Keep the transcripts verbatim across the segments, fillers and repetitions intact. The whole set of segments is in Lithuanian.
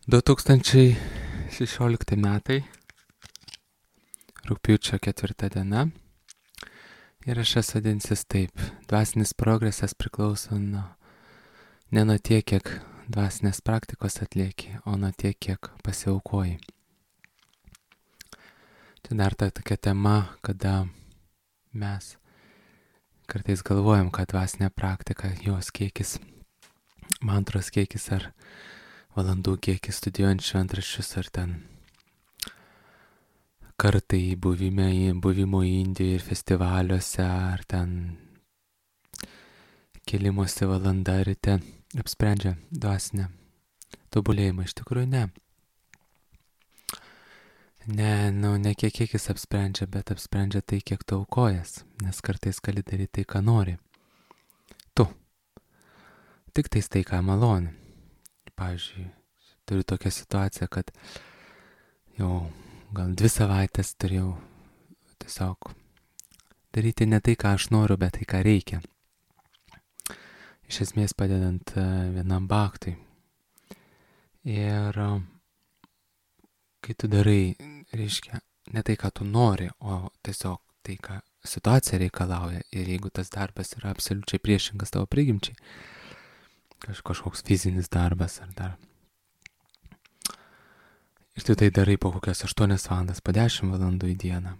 du tūkstančiai šešiolikti metai, rugpjūčio ketvirta diena. Ir aš esu vadinsis taip. Dvasinis progresas priklauso nuo, ne nuo tiek, kiek dvasinės praktikos atlieki, o nuo tiek, kiek pasiaukoji. Tai dar ta tokia tema, kada mes kartais galvojam, kad dvasinė praktika, jos kiekis, mantros kiekis ar valandų kiekis studijuojant šventraščius ar ten kartai buvime, buvimo Indijoje ir festivaliuose ar ten kėlimosi valanda ryte apsprendžia dvasinę tobulėjimą. Iš tikrųjų ne. Ne, nu, ne kiek kiekis apsprendžia, bet apsprendžia tai, kiek tu aukojas, nes kartais gali daryti tai, ką nori. Tu. Tik tais tai, ką maloni. Pavyzdžiui, turiu tokią situaciją, kad jau gal dvi savaitės turėjau tiesiog daryti ne tai, ką aš noriu, bet tai, ką reikia. Iš esmės padedant vienam baktui. Ir kai tu darai, reiškia, ne tai, ką tu nori, o tiesiog tai, ką situacija reikalauja. Ir jeigu tas darbas yra absoliučiai priešingas tavo prigimčiai, kaž, kažkoks fizinis darbas ar dar. Ir tu tai darai po kokias aštuonias valandas, po dešimt valandų į dieną.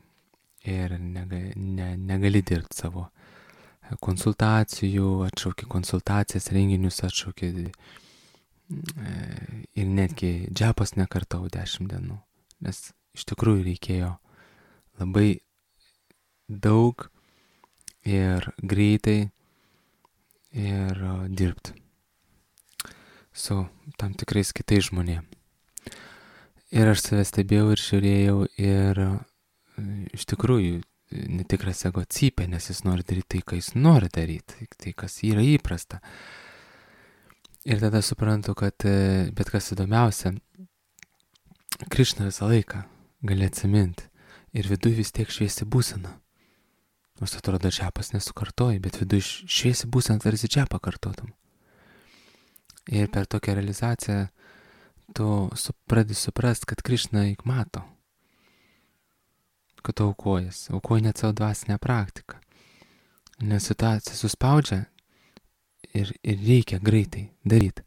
Ir negali, ne, negali dirbti savo konsultacijų, atšauki konsultacijas, renginius atšauki. Ir netgi džepos nekartau dešimt dienų. Nes iš tikrųjų reikėjo labai daug ir greitai ir dirbti su tam tikrais kitais žmonėmis. Ir aš save stebėjau ir žiūrėjau ir iš tikrųjų netikras ego cypia, nes jis nori daryti tai, ką jis nori daryti, tai, kas yra įprasta. Ir tada suprantu, kad bet kas įdomiausia, Krišna visą laiką gali atsiminti ir viduj vis tiek šviesi būsena. Nors atrodo, džepas nesukartoji, bet viduj šviesi būsena, tarsi džepą kartotum. Ir per tokią realizaciją tu pradedi suprast, kad Krišna juk mato, kad tu aukojas, aukoji net savo dvasinę praktiką. Nes situacija suspaudžia ir, ir reikia greitai daryti,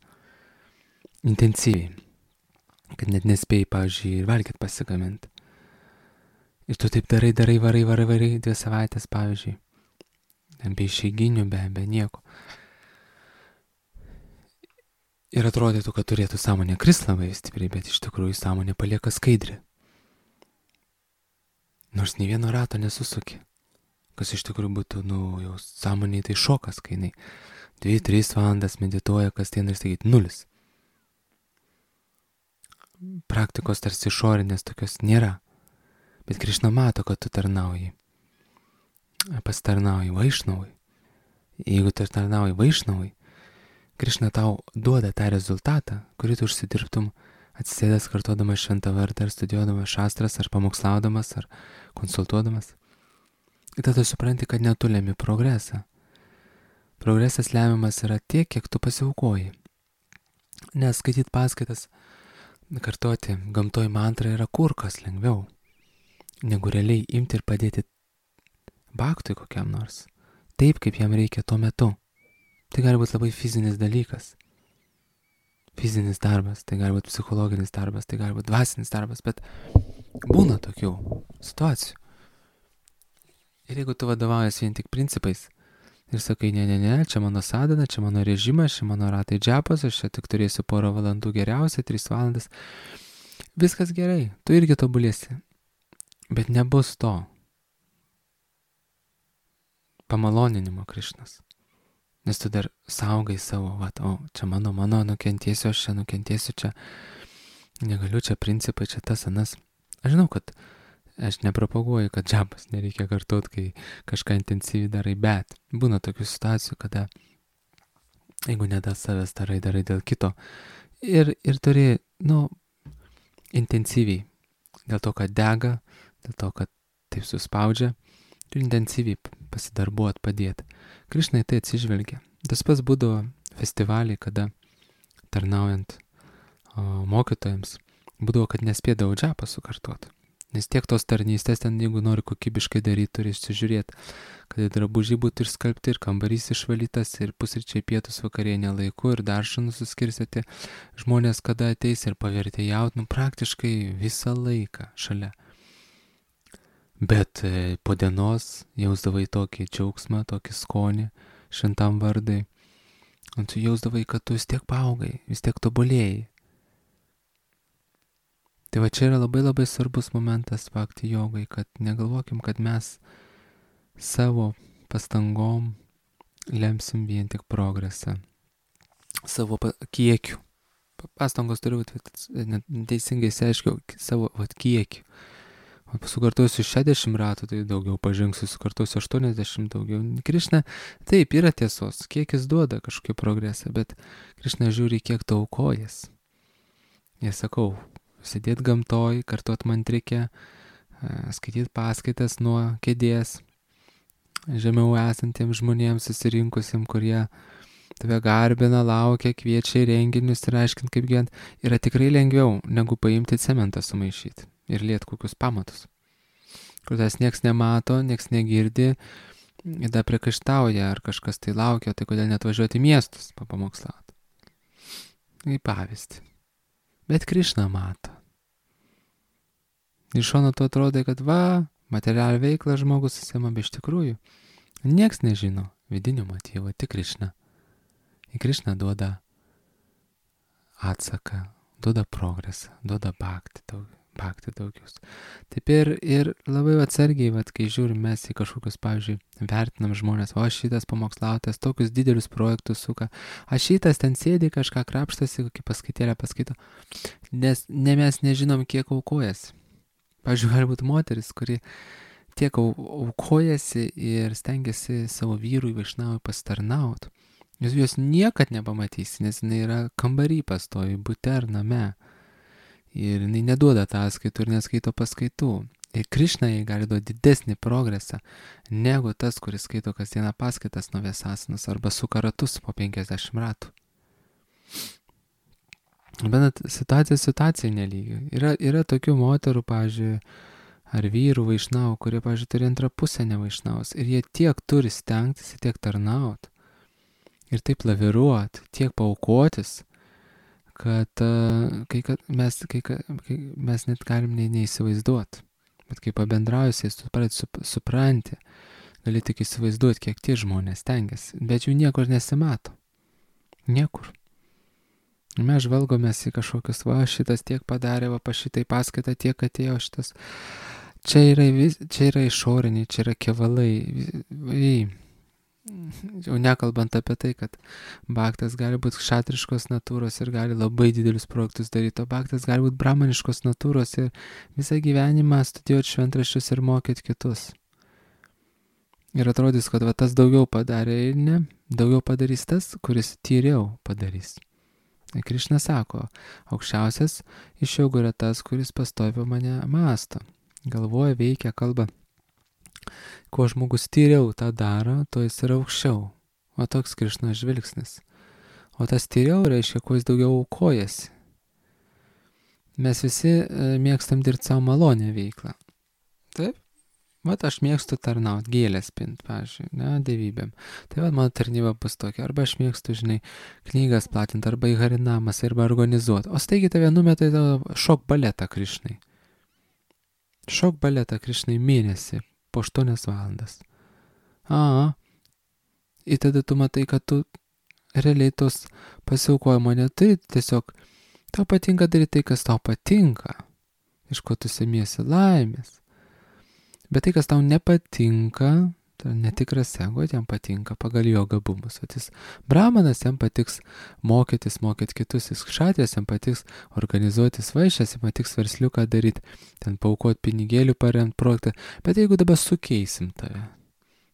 intensyviai, kad net nespėjai, pavyzdžiui, ir valgyti pasigaminti. Ir tu taip darai, darai, varai, varai, varai, dvi savaitės, pavyzdžiui, be išeiginių, be, be nieko. Ir atrodytų, kad turėtų sąmonė krist labai stipriai, bet iš tikrųjų sąmonė palieka skaidri. Nors nei vieno rato nesusuki. Kas iš tikrųjų būtų, nu, jau sąmonė tai šokas, kai jinai dvi tris valandas medituoja kasdien ir sakyti nulis. Praktikos tarsi išorinės tokios nėra. Bet Krišna mato, kad tu tarnauji. Pasitarnauji Vaišnavui. Jeigu tu tarnauji Vaišnavui, Krišna tau duoda tą rezultatą, kurį tu užsidirbtum atsisėdęs kartuodamas šventą vardą, ar studijuodamas šastras, ar pamokslaudamas, ar konsultuodamas. Ir tada supranti, kad ne tu lemi progresą. Progresas lemiamas yra tiek, kiek tu pasiaukoji. Nes skaityti paskaitas, kartoti gamtoj mantrą yra kur kas lengviau, negu realiai imti ir padėti baktui kokiam nors, taip, kaip jam reikia tuo metu. Tai gali būti labai fizinis dalykas. Fizinis darbas, tai gali būti psichologinis darbas, tai gali būti dvasinis darbas, bet būna tokių situacijų. Ir jeigu tu vadovaujas vien tik principais ir sakai, ne, ne, ne, čia mano sadhana, čia mano režimas, čia mano ratai džepas, aš čia tik turėsiu porą valandų geriausiai, tris valandas, viskas gerai, tu irgi tobulėsi, bet nebus to pamaloninimo Krišnos. Nes tu dar saugai savo, va, o čia mano, mano, nukentėsiu, aš čia nukentėsiu, čia negaliu, čia principai, čia tas, anas. Aš žinau, kad aš nepropaguoju, kad džabas nereikia kartot, kai kažką intensyviai darai, bet būna tokių situacijų, kada jeigu ne dėl savęs darai, darai dėl kito. Ir, ir turi, nu, intensyviai, dėl to, kad dega, dėl to, kad taip suspaudžia, turi intensyviai pasidarbuot, padėti. Krišna į tai atsižvelgia. Tas pats būdavo festivaliai, kada tarnaujant mokytojams, būdavo, kad nespėdavo džapą sukartoti. Nes tiek tos tarnystės ten, jeigu nori kokybiškai daryti, turi išsižiūrėti, kad drabužiai būtų išskalbti, ir kambarys išvalytas, ir pusryčiai, pietus, vakarienė laiku, ir daržą nusiskirstyti žmonės, kada ateis, ir pavertė jaut, nu praktiškai visą laiką šalia. Bet po dienos jausdavai tokį džiaugsmą, tokį skonį šventam vardai. Ir tu jausdavai, kad tu vis tiek paaugai, vis tiek tobulėjai. Tai va čia yra labai labai svarbus momentas bhakti jogai, kad negalvokim, kad mes savo pastangom lemsim vien tik progresą. Savo kiekiu. Pastangos turi būti, teisingai išsiaiškiau, savo vat, kiekiu. Sukartosiu šešiasdešimt ratų, tai daugiau pažengsiu, sukartosiu aštuoniasdešimt daugiau. Krišna, taip, yra tiesos, kiekis duoda kažkokį progresą, bet Krišna žiūri, kiek tu aukojas. Jie sakau, sėdėti gamtoj, kartuot mantrikę, skaityti paskaitas nuo kėdės, žemiau esantiems žmonėms susirinkusiems, kurie tave garbina, laukia, kviečia į renginius ir aiškint, kaip gyvent, yra tikrai lengviau, negu paimti cementą sumaišyti ir liet kokius pamatus. Kur tas nieks nemato, nieks negirdi, ir dar priekaištauja, ar kažkas tai laukia, tai kodėl net važiuoti į miestus papamokslauti. Į pavyzdį. Bet Krišna mato. Iš šono tu atrodai, kad va, materialią veiklą žmogus susima, bet iš tikrųjų nieks nežino vidinio motyvo, tik Krišna. Ir Krišna duoda atsaką, duoda progresą, duoda bhakti daug, bhakti daugius. Taip ir, ir labai atsargiai, vat, kai žiūrim mes į kažkokius, pavyzdžiui, vertinam žmonės, o šitas pamokslautas tokius didelius projektus suka, o šitas ten sėdi kažką krapštasi, kokį paskaitėlę paskaito, nes ne mes nežinom, kiek aukojasi. Pavyzdžiui, gali būti moteris, kuri tiek aukojasi ir stengiasi savo vyrui Vaišnavui pasitarnauti. Jūs jos niekad nepamatysi, nes jinai yra kambarį pastovi, bute ar name. Ir jinai neduoda ataskaitų ir neskaito paskaitų. Ir Krišna jai gali duoti didesnį progresą, negu tas, kuris skaito kasdieną paskaitas nuo Vėsasanos arba suka ratus po penkiasdešimt ratų. Bet situacija situacijai nelygi. Yra, yra tokių moterų, pavyzdžiui, ar vyrų Vaišnavų, kurie, pavyzdžiui, turi antrą pusę ne Vaišnavus. Ir jie tiek turi stengtis, tiek tarnauti. Ir taip laviruoti, tiek paukotis, kad, uh, kai, kad mes, kai, kai mes net galim nei, neįsivaizduoti. Bet kai pabendrausiais, tu pradėt sup, supranti, gali tik įsivaizduoti, kiek tie žmonės stengiasi. Bet jų niekur nesimato. Niekur. Mes žvalgomės į kažkokius, va, šitas tiek padarė, va, pa šitai paskaitą tiek atėjo šitas. Čia yra, čia yra išoriniai, čia yra kevalai. Į, jau nekalbant apie tai, kad bhaktas gali būti kšatriškos natūros ir gali labai didelius projektus daryti, o bhaktas gali būti brahmaniškos natūros ir visą gyvenimą studijuoti šventraščius ir mokyti kitus. Ir atrodys, kad va, tas daugiau padarė ir ne, daugiau padarys tas, kuris tyriau padarys. Ir Krišna sako, aukščiausias iš jogų yra tas, kuris pastovi mane mąsto, galvoja, veikia, kalba. Kuo žmogus tyriau tą daro, to jis yra aukščiau. O toks Krišnos žvilgsnis. O tas tyriau reiškia, kuo jis daugiau aukojasi. Mes visi e, mėgstam dirbti savo malonę veiklą. Taip? Vat aš mėgstu tarnauti, gėlės pint, pavyzdžiui, ne, dievybėm. Tai vat mano tarnyba bus tokia. Arba aš mėgstu, žinai, knygas platinti, arba į harinamas, arba organizuoti. O staigi tave numetai šok baletą Krišnai. Šok baletą Krišnai mėnesį. Po aštuonias valandas. A, ir tada tu matai, kad tu realiai tos pasiaukojimo neturi, tiesiog tau patinka daryti tai, kas tau patinka, iš ko tu semiesi laimės. Bet tai, kas tau nepatinka, tai netikras ego, jam patinka pagal jo gabumus. O jis brahmanas, jam patiks mokytis, mokyti kitus, jis kšatės, jam patiks organizuotis vaišės, jam patiks versliuką daryti, ten paukoti pinigėlių, paremti projektą. Bet jeigu dabar sukeisim tave,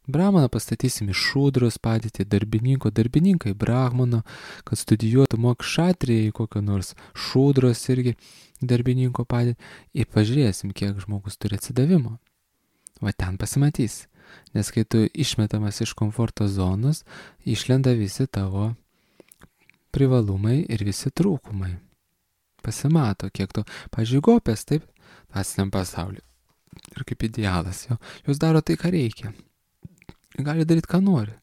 brahmaną pastatysim iš šūdros padėti darbininko, darbininkai brahmano, kad studijuotų mok kšatrijai kokio nors šūdros irgi darbininko padėti, ir pažiūrėsim, kiek žmogus turi atsidavimo. Va ten pasimatys. Nes kai tu išmetamas iš komforto zonos, išlenda visi tavo privalumai ir visi trūkumai. pasimato, kiek tu, pavyzdžiui, gopės, taip, dvasiniam pasauliu. Ir kaip idealas jo. Jos daro tai, ką reikia. Gali daryti, ką nori.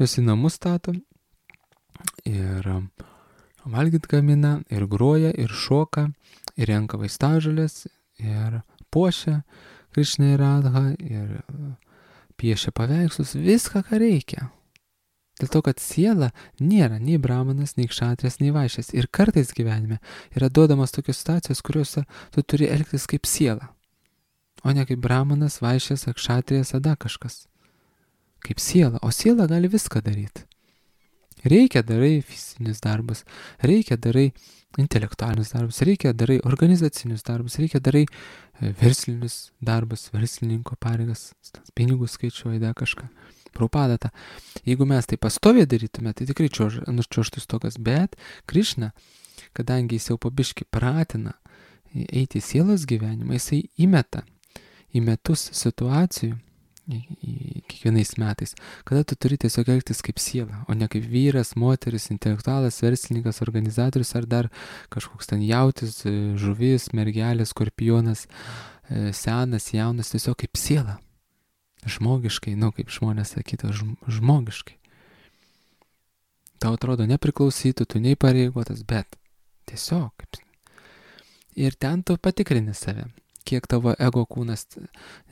Jos į namus stato ir valgyt gamina, ir groja, ir šoka, ir renka vaistažolės, ir puošia Krišną ir Radhą, ir piešia paveikslus, viską, ką reikia. Dėl to, kad siela nėra nei brahmanas, nei kšatrijas, nei vaišės. Ir kartais gyvenime yra duodamas tokios situacijos, kuriuose tu turi elgtis kaip siela, o ne kaip brahmanas, vaišės, kšatrijas, ada kažkas. Kaip siela, o siela gali viską daryti. Reikia darai fizinius darbus, reikia darai intelektualinius darbus, reikia darai organizacinius darbus, reikia darai verslinius darbus, verslininko pareigas, pinigus skaičiuoja, da kažką. Prabhupada tą. Jeigu mes tai pastoviai darytume, tai tikrai nučiuoštų stogas, bet Krišna, kadangi jis jau pabiški pratina eiti į sielos gyvenimą, jisai įmeta į metus situacijų, į, į, kiekvienais metais, kada tu turi tiesiog elgtis kaip siela, o ne kaip vyras, moteris, intelektualas, verslininkas, organizatorius ar dar kažkoks ten jautis, žuvis, mergelės, skorpionas, senas, jaunas, tiesiog kaip siela. Žmogiškai, nu kaip žmonės sakytų, žmogiškai. Tau atrodo nepriklausytų, tu neįpareigotas, bet tiesiog. Ir ten tu patikrini save, kiek tavo ego kūnas,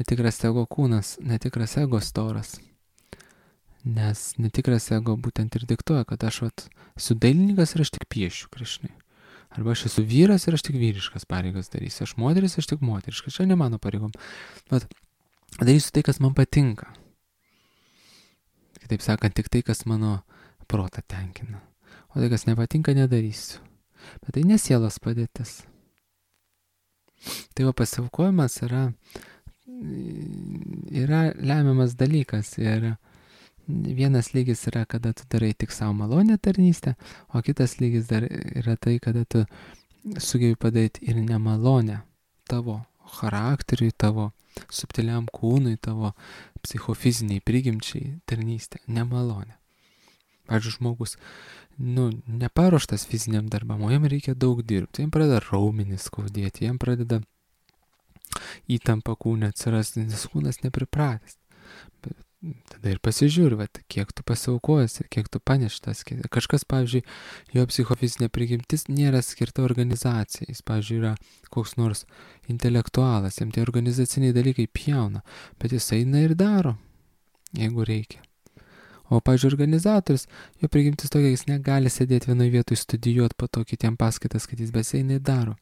netikras ego kūnas, netikras ego storas. Nes netikras ego būtent ir diktuoja, kad aš vat, esu dailininkas ir aš tik piešiu Krišnai. Arba aš esu vyras ir aš tik vyriškas pareigas darysiu. Aš moteris, aš tik moteriškas. Čia ne mano pareigom. Bet darysiu tai, kas man patinka. Kitaip sakant, tik tai, kas mano protą tenkina. O tai, kas nepatinka, nedarysiu. Bet tai nesielos padėtis. Tai va pasiaukojimas yra, yra lemiamas dalykas. Ir vienas lygis yra, kada tu darai tik savo malonę tarnystę, o kitas lygis dar yra tai, kada tu sugebi padaryti ir nemalonę tavo charakteriui, tavo subtiliam kūnui, tavo psichofiziniai prigimčiai tarnystė, nemalonė. Pavyzdžiui, žmogus, nu, neparuoštas fiziniam darbam, o jam reikia daug dirbti, jam pradeda raumenis skaudėti, jam pradeda įtampa kūne atsirasti, nes kūnas nepripratęs. Bet tada ir pasižiūri, vat, kiek tu pasiaukojęs ir kiek tu paneštas. Kažkas, pavyzdžiui, jo psichofizinė prigimtis nėra skirta organizacijai. Jis, pavyzdžiui, yra koks nors intelektualas, jam tie organizaciniai dalykai pjauna, bet jis eina ir daro, jeigu reikia. O, pavyzdžiui, organizatorius, jo prigimtis tokia, jis negali sėdėti vienoje vietoje studijuoti, po to kitiem paskaitas skaitys, bet jis eina ir daro.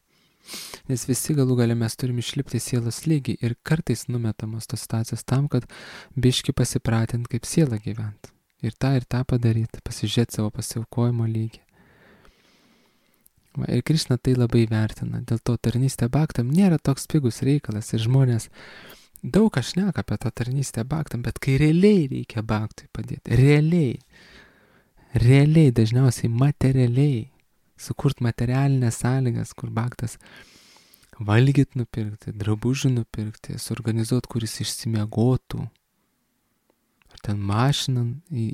Nes visi galų gale mes turim išlipti sielos lygį ir kartais numetamos tos situacijos tam, kad biški pasipratint kaip siela gyvent. Ir tą ir tą padaryti, pasižiūrėti savo pasiaukojimo lygį. Va, ir Krišna tai labai vertina, dėl to tarnystė bhaktam nėra toks pigus reikalas ir žmonės daug ką šneka apie tą tarnystę bhaktam, bet kai realiai reikia bhaktui padėti, realiai, realiai, dažniausiai materialiai, sukurt materialinės sąlygas, kur bhaktas valgyt nupirkti, drabužių nupirkti, suorganizuot, kuris išsimiegotų, ar ten mašiną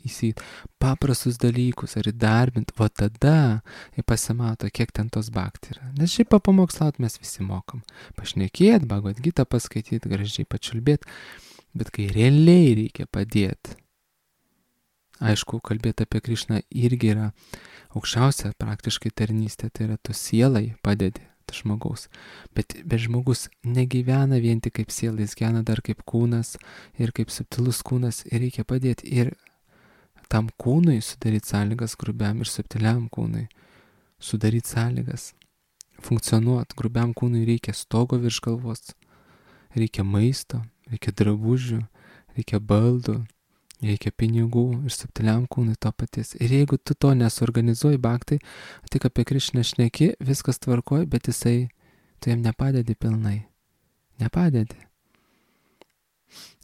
įsijūt, paprastus dalykus, ar įdarbint, o tada pasimato, kiek ten tos bhakti yra. Nes šiaip papamokslaut mes visi mokam. Pašnekėt, Bhagavad Gitą paskaityt, gražiai pačiulbėt, bet kai realiai reikia padėti, aišku, kalbėti apie Krišną irgi yra aukščiausia praktiškai tarnystė, tai yra tu sielai padedi žmogaus. Bet, bet žmogus negyvena vien tik kaip siela, jis gyvena dar kaip kūnas ir kaip subtilus kūnas ir reikia padėti ir tam kūnui sudaryti sąlygas, grubiam ir subtiliam kūnui sudaryti sąlygas, funkcionuoti. Grubiam kūnui reikia stogo virš galvos, reikia maisto, reikia drabužių, reikia baldų, reikia pinigų ir subtiliam kūnui to paties. Ir jeigu tu to nesuorganizuoji bhaktai, tik apie Krišną šneki, viskas tvarkoj, bet jisai, tu jam nepadedi pilnai. Nepadedi.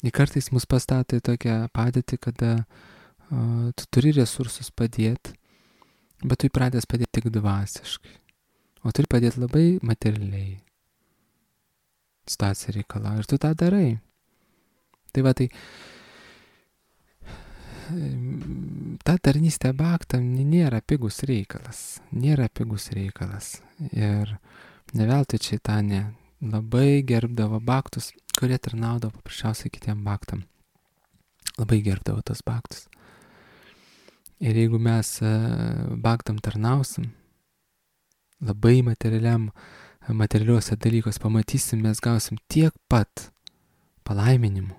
Ir kartais mus pastato į tokią padėtį, kada uh, tu turi resursus padėti, bet tu įpratęs padėti tik dvasiškai. O turi padėti labai materialiai. Situacija reikalauja ir tu tą darai. Tai va, tai ta tarnystė bhaktam nėra pigus reikalas. Nėra pigus reikalas. Ir ne veltui Čaitanė labai gerbdavo bhaktus, kurie tarnaudavo paprasčiausiai kitiem bhaktam. Labai gerbdavo tos bhaktus. Ir jeigu mes bhaktam tarnausim, labai materialiam, materialiuose dalykos pamatysim, mes gausim tiek pat palaiminimų,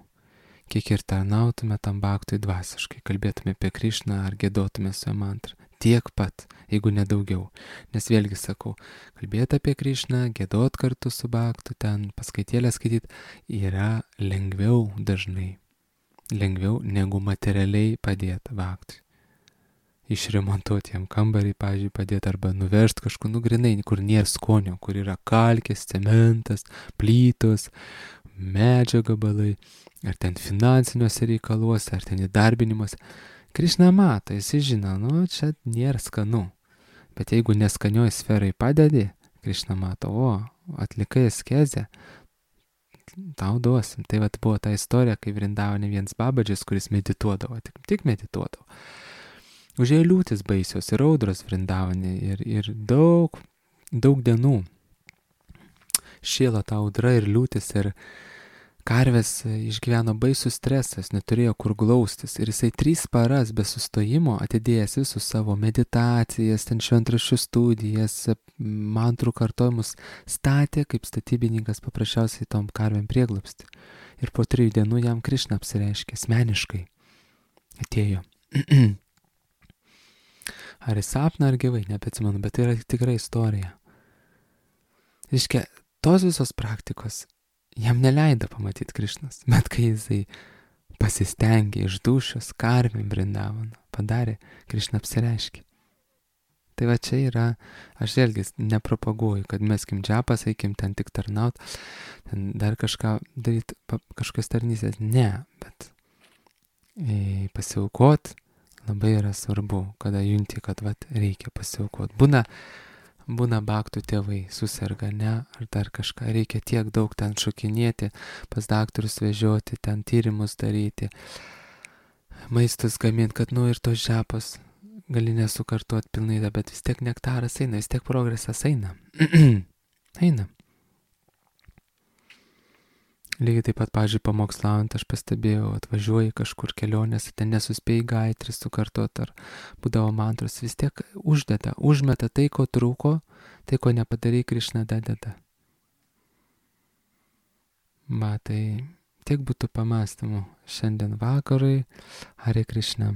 kiek ir tarnautume tam bhaktui dvasiškai, kalbėtume apie Krišną ar giedotume su jo mantrą. Tiek pat, jeigu nedaugiau. Nes vėlgi sakau, kalbėti apie Krišną, giedot kartu su bhaktu, ten paskaitėlę skaityti, yra lengviau dažnai. Lengviau negu materialiai padėti bhaktui. Išremontuoti jam kambarį, pavyzdžiui, padėti arba nuversti kažkur nugrinai, kur nėra skonio, kur yra kalkės, cementas, plytos, medžio gabalai, ar ten finansiniuose reikaluose, ar ten įdarbinimuose. Krišna mato, jis žino, nu, čia nėra skanu. Bet jeigu neskanioj sferai padedi, Krišna mato, o, atlikai askezę, tau duosim. Tai vat buvo ta istorija, kai Vrindavane vienas babadžis, kuris medituodavo, tik, tik medituodavo. Užėjo liūtis baisios ir audros Vrindavane ir, ir daug, daug dienų šėlo ta audra ir liūtis ir karvės išgyveno baisų stresas, neturėjo kur glaustis ir jisai trys paras be sustojimo atidėjęs visus savo meditacijas, ten šventraščių studijas, mantrų kartojimus, statė kaip statybininkas paprasčiausiai tom karvėm prieglobstį. Ir po trijų dienų jam Krišna apsireiškė, asmeniškai atėjo. Ar į sapną, ar gyvai, nebeatsimenu, bet tai yra tikra istorija. Reiškia, tos visos praktikos jam neleido pamatyti Krišnas, bet kai jisai pasistengė iš dūšios karvėm Vrindavaną, padarė, Krišna apsireiškė. Tai va čia yra, aš vėlgi nepropaguoju, kad meskim džapas, eikim ten tik tarnaut, ten dar kažką daryti, kažkas tarnysės, ne, bet e, pasiaukot labai yra svarbu, kada junti, kad vat, reikia pasiaukot. Būna, būna bhaktų tėvai susirga, ne, ar dar kažką, reikia tiek daug ten šokinėti, pas daktarus vežioti, ten tyrimus daryti, maistus gaminti, kad nu ir tos džapos gali nesukartuoti pilnai, bet vis tiek nektaras eina, vis tiek progresas eina. eina. Lygiai taip pat, pavyzdžiui, pamokslaujant, aš pastebėjau, atvažiuoji kažkur kelionės, ten nesuspėjai gaitris sukartot ar būdavo mantros, vis tiek uždeda, užmeta tai, ko trūko, tai, ko nepadarai, Krišna dadeda. Va, tai tiek būtų pamastymų šiandien vakarui. Hare Krišna.